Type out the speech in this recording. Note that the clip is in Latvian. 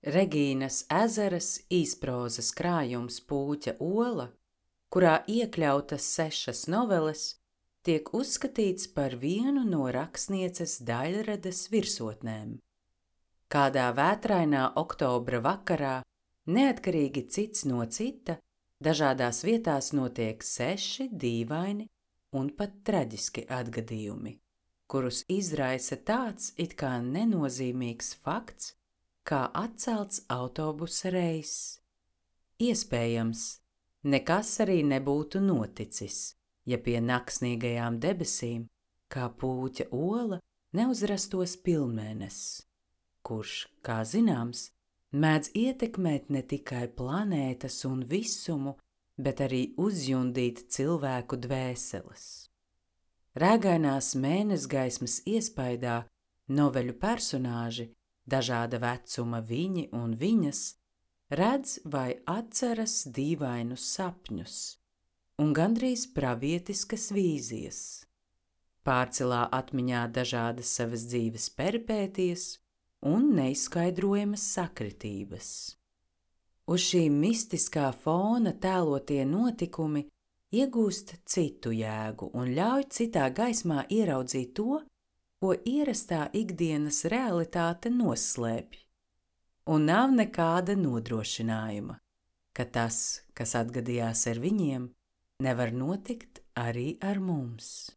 Regīnas Ezeras īsprozas krājums Pūķa ola, kurā iekļautas 6 noveles, tiek uzskatīts par vienu no rakstnieces Daļradas virsotnēm. Kādā vētrainā oktobra vakarā, neatkarīgi cits no cita, dažādās vietās notiek 6 dīvaini un pat traģiski atgadījumi, kurus izraisa tāds it kā nenozīmīgs fakts, kā atcelts autobusa reiss. Iespējams, nekas arī nebūtu noticis, ja pie naksnīgajām debesīm, kā Pūķa ola, neuzrastos pilnmēnesis, kurš, kā zināms, mēdz ietekmēt ne tikai planētas un visumu, bet arī uzjundīt cilvēku dvēseles. Rēgainās mēnesgaismas iespaidā noveļu personāži, dažāda vecuma viņi un viņas, redz vai atceras dīvainus sapņus un gandrīz pravietiskas vīzijas. Pārcelā atmiņā dažādas savas dzīves peripētijas un neizskaidrojamas sakritības. Uz šī mistiskā fona tēlotie notikumi iegūst citu jēgu un ļauj citā gaismā ieraudzīt to, ko ierastā ikdienas realitāte noslēpj, un nav nekāda nodrošinājuma, ka tas, kas atgadījās ar viņiem, nevar notikt arī ar mums.